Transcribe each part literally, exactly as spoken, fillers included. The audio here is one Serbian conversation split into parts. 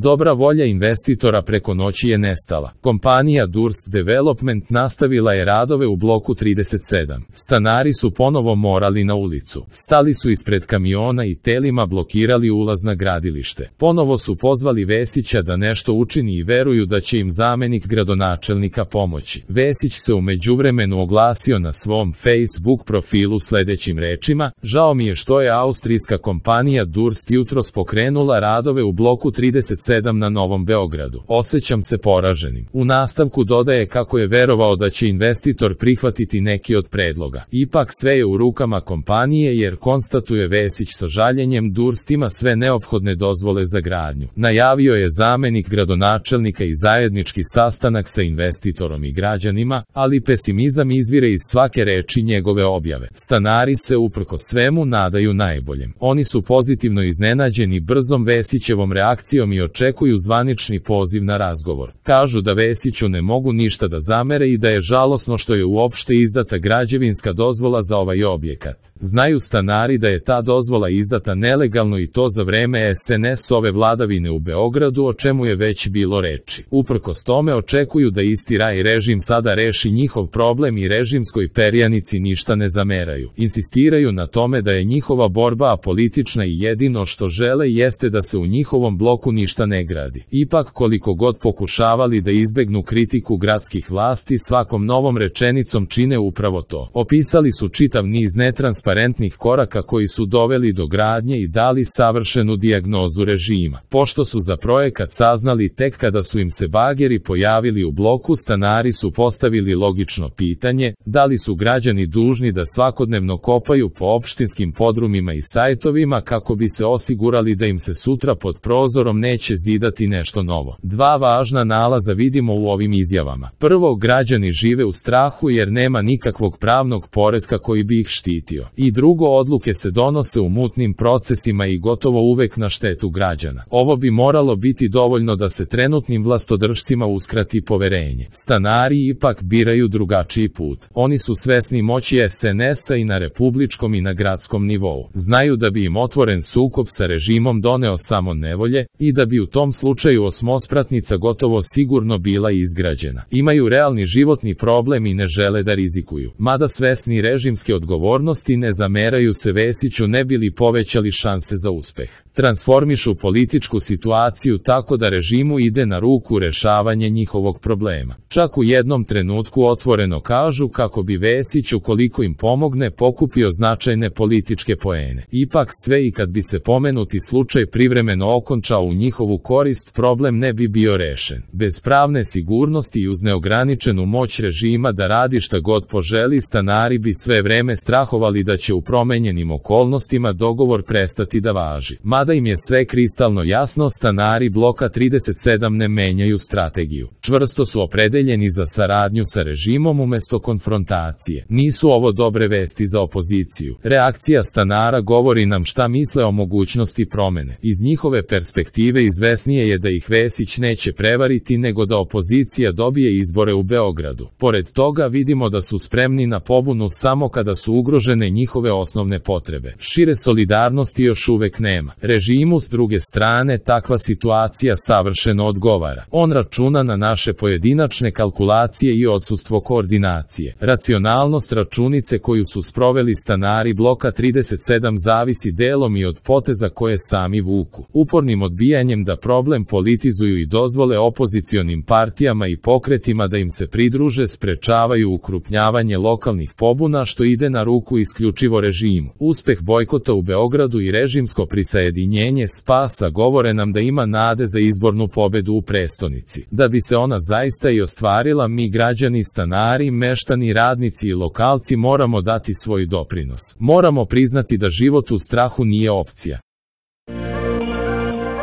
Dobra volja investitora preko noći je nestala. Kompanija Durst Development nastavila je radove u bloku trideset sedam. Stanari su ponovo morali na ulicu. Stali su ispred kamiona i telima blokirali ulaz na gradilište. Ponovo su pozvali Vesića da nešto učini i veruju da će im zamenik gradonačelnika pomoći. Vesić se u međuvremenu oglasio na svom Facebook profilu sledećim rečima: žao mi je što je austrijska kompanija Durst jutros pokrenula radove u bloku trideset sedam na Novom Beogradu. Osećam se poraženim. U nastavku dodaje kako je verovao da će investitor prihvatiti neki od predloga. Ipak sve je u rukama kompanije, jer konstatuje Vesić sa žaljenjem, Durst ima sve neophodne dozvole za gradnju. Najavio je zamenik gradonačelnika i zajednički sastanak sa investitorom i građanima, ali pesimizam izvire iz svake reči njegove objave. Stanari se uprkos svemu nadaju najboljem. Oni su pozitivno iznenađeni brzom Vesićevom reakcijom i očekuju zvanični poziv na razgovor. Kažu da Vesiću ne mogu ništa da zamere i da je žalosno što je uopšte izdata građevinska dozvola za ovaj objekat. Znaju stanari da je ta dozvola izdata nelegalno i to za vreme es en es-ove vladavine u Beogradu, o čemu je već bilo reči. Uprkos tome očekuju da isti raj režim sada reši njihov problem i režimskoj perjanici ništa ne zameraju. Insistiraju na tome da je njihova borba apolitična i jedino što žele jeste da se u njihovom bloku ništa ne gradi. Ipak, koliko god pokušavali da izbegnu kritiku gradskih vlasti, svakom novom rečenicom čine upravo to. Opisali su čitav niz netransparentnih koraka koji su doveli do gradnje i dali savršenu dijagnozu režima. Pošto su za projekat saznali tek kada su im se bageri pojavili u bloku, stanari su postavili logično pitanje: da li su građani dužni da svakodnevno kopaju po opštinskim podrumima i sajtovima kako bi se osigurali da im se sutra pod prozorom neće zidati nešto novo. Dva važna nalaza vidimo u ovim izjavama. Prvo, građani žive u strahu jer nema nikakvog pravnog poretka koji bi ih štitio. I drugo, odluke se donose u mutnim procesima i gotovo uvek na štetu građana. Ovo bi moralo biti dovoljno da se trenutnim vlastodržcima uskrati poverenje. Stanari ipak biraju drugačiji put. Oni su svesni moći es en es-a i na republičkom i na gradskom nivou. Znaju da bi im otvoren sukob sa režimom doneo samo nevolje i da bi u tom slučaju osmospratnica gotovo sigurno bila izgrađena. Imaju realni životni problem i ne žele da rizikuju. Mada svesni režimske odgovornosti ne zameraju se Vesiću ne bi li povećali šanse za uspeh. Transformišu političku situaciju tako da režimu ide na ruku rešavanje njihovog problema. Čak u jednom trenutku otvoreno kažu kako bi Vesić, ukoliko im pomogne, pokupio značajne političke poene. Ipak sve i kad bi se pomenuti slučaj privremeno okončao u njihovu korist, problem ne bi bio rešen. Bez pravne sigurnosti i uz neograničenu moć režima da radi šta god poželi, stanari bi sve vreme strahovali da će u promenjenim okolnostima dogovor prestati da važi. Mada im je sve kristalno jasno, stanari bloka trideset sedam ne menjaju strategiju. Čvrsto su opredeljeni za saradnju sa režimom umesto konfrontacije. Nisu ovo dobre vesti za opoziciju. Reakcija stanara govori nam šta misle o mogućnosti promene. Iz njihove perspektive izvesnije je da ih Vesić neće prevariti nego da opozicija dobije izbore u Beogradu. Pored toga vidimo da su spremni na pobunu samo kada su ugrožene njihove osnovne potrebe. Šire solidarnosti još uvek nema. Režimu s druge strane takva situacija savršeno odgovara. On računa na naše pojedinačne kalkulacije i odsustvo koordinacije. Racionalnost računice koju su sproveli stanari bloka trideset sedam zavisi delom i od poteza koje sami vuku. Upornim odbijanjem da problem politizuju i dozvole opozicionim partijama i pokretima da im se pridruže sprečavaju ukrupnjavanje lokalnih pobuna, što ide na ruku isključivo režimu. Uspeh bojkota u Beogradu i režimsko prisajedinjenje spasa govore nam da ima nade za izbornu pobedu u prestonici. Da bi se ona zaista i ostvarila, mi građani, stanari, meštani, radnici i lokalci moramo dati svoj doprinos. Moramo priznati da život u strahu nije opcija.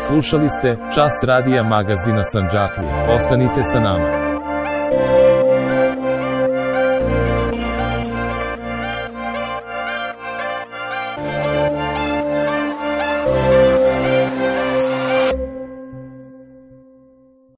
Slušali ste Čas radija magazina Sandžaklija. Ostanite sa nama.